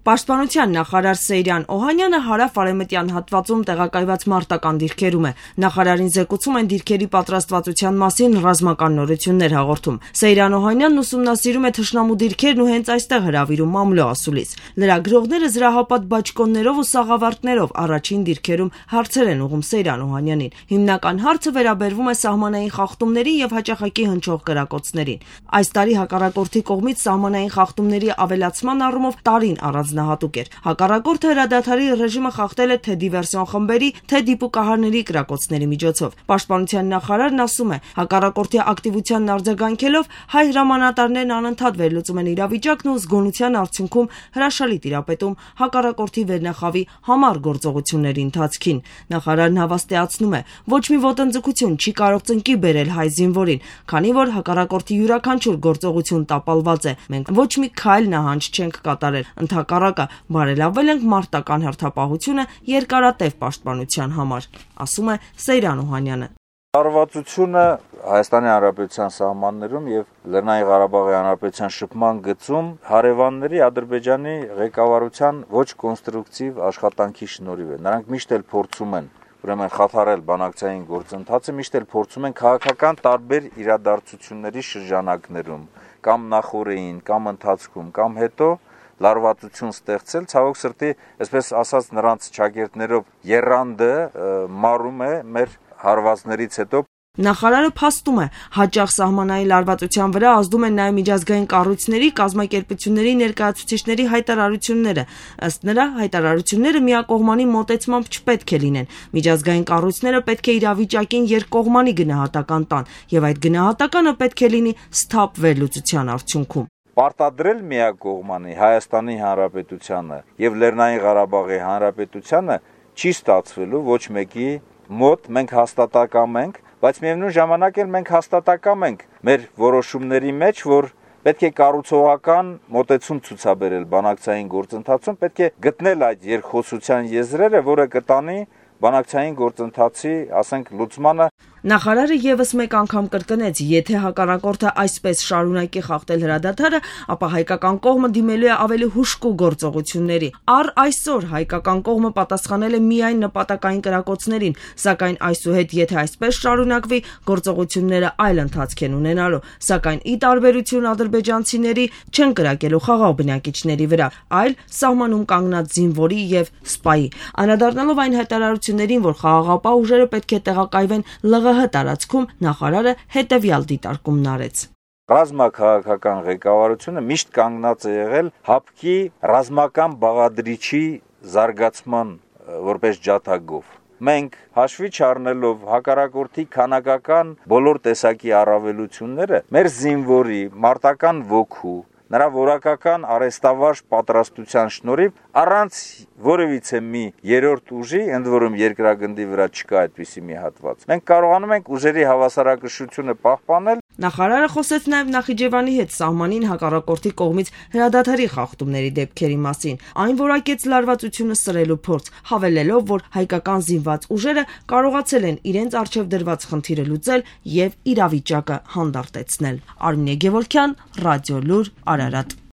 Պաշտպանության նախարար Սեյրան Օհանյանը հարավ-արևմտյան հատվածում տեղակայված մարտական դիրքերում է։ Նախարարին զեկուցում են դիրքերի պատրաստվածության մասին ռազմական նորություններ հաղորդում։ Սեյրան Օհանյանն ուսումնասիրում է թշնամու դիրքերն ու հենց այստեղ հրավիրում մամլո ասուլիս։ Լրագրողները զրահապատ բաճկոններով ու սաղավարտներով առաջին դիրքերում հարցեր են ուղղում Սեյրան Օհանյանին։ Հիմնական հարցը վերաբերվում է սահմանային խախտումներին եւ հաճախակի հնչող կրակոցներին։ Այս տարի հակառակորդի կողմից սահմանային խախտումների ավելացման առումով տարին առանձնահատուկ էր։ Հակառակորդը հրադադարի ռեժիմը խախտել է թե դիվերսիոն խմբերի, թե դիպուկահարների կրակոցների միջոցով։ Պաշտպանության նախարարն ասում է, հակառակորդի ակտիվությանն արձագանքելով հայ հրամանատարներն անընդհատ վերլուծում են իրավիճակն ու զգոնության արդյունքում հրաշալի տիրապետում հակառակորդի վերնախավի համառ գործողությունների ընթացքին։ Նախարարն հավաստիացնում է, ոչ մի ոտնձգություն չի կարող ծնկի բերել հայ զինվորին, քանի որ հակառակորդի յուրաքանչյուր գործողություն տապալված է։ Մենք ոչ մի քայլ նահանջ չենք կատարել, ընդհակառակը բարելավել ենք մարտական հերթապահությունը երկարատև պաշտպանության համար, ասում է Սեյրան Օհանյանը։ Հարվածությունը Հայաստանի Հանրապետության սահմաններում եւ Լեռնային Ղարաբաղի Հանրապետության շփման գծում հարևանների Ադրբեջանի ղեկավարության ոչ կոնստրուկտիվ աշխատանքի շնորհիվ է։ Նրանք միշտ էլ փորձում են ուրեմն խաթարել բանակցային գործընթացը, միշտ էլ փորձում են քաղաքական տարբեր իրադարձությունների շրջանակներում կամ նախորդին, կամ ընթացքում, կամ հետո լարվածություն ստեղծել, ցավոք սրտի, այսպես ասած, նրանց ճակերտներով եռանդը մարում է մեր հարվածներից հետո։ Նախարարը փաստում է, հաճախ սահմանային լարվածության վրա ազդում են նաև միջազգային կառույցների, կազմակերպությունների ներկայացուցիչների հայտարարությունները։ Ըստ նրա, հայտարարությունները միակողմանի մոտեցմամբ չպետք է լինեն։ Միջազգային կառույցները պետք է իրավիճակին երկկողմանի գնահատական տան, եւ այդ գնահատականը պետք է լինի սթափ վերլուծության արդյունքում։ Պարտադրել միակողմանի Հայաստանի Հանրապետությանը եւ Լեռնային Ղարաբաղի Հանրապետությանը չի ստացվելու ոչ մեկի մոտ, մենք հաստատակամ ենք, բայց միևնույն ժամանակ էլ մենք հաստատակամ ենք մեր որոշումների մեջ, որ պետք է կառուցողական մոտեցում ցուցաբերել բանակցային գործընթացում, պետք է գտնել այդ երկխոսության եզրերը, որը կտանի բանակցային գործընթացի, ասենք, լուծմանը։ Նախարարը եւս մեկ անգամ կրկնեց, եթե հակառակորդը այսպես շարունակի խախտել հրադադարը, ապա հայկական կողմը դիմելու է ավելի հուժկու գործողությունների։ Առ այսօր հայկական կողմը պատասխանել է միայն նպատակային կրակոցներին, սակայն այսուհետ, եթե այսպես շարունակվի, գործողությունները այլ ընթացք են ունենալու, սակայն ի տարբերություն ադրբեջանցիների չեն կրակելու խաղաղ բնակիչների վրա, այլ սահմանում կանգնած զինվորի եւ սպայի։ Անդրադառնալով այն հայտարարություններին, որ խաղաղապահ ուժերը պետք է տեղակայվեն ԼՂՀ տարածքում, նախարարը հետևյալ դիտարկումն արեց։ Ռազմաքաղաքական ղեկավարությունը միշտ կանգնած է եղել հապկի ռազմական բաղադրիչի զարգացման որպես ջատագով։ Մենք հաշվի չառնելով հակառակորդի քանակական բոլոր տեսակի առավելությունները, մեր զինվորի մարտական ոգու, նրա որակական արեստավարժ պատրաստության շնորհիվ առանց որևիցե մի երրորդ ուժի, ընդ որում երկրագնդի վրա չկա այդպիսի մի հատված, մենք կարողանում ենք ուժերի հավասարակշռությունը պահպանել։ Նախարարը խոսեց նաև Նախիջևանի հետ սահմանին հակառակորդի կողմից հրադադարի խախտումների դեպքերի մասին։ Այն որակեց լարվածությունը սրելու փորձ, հավելելով, որ հայկական զինված ուժերը կարողացել են իրենց առջև դրված խնդիրը լուծել եւ իրավիճակը հանդարտեցնել։ Արմինե Գևորգյան, Ռադիոլուր, Արարատ։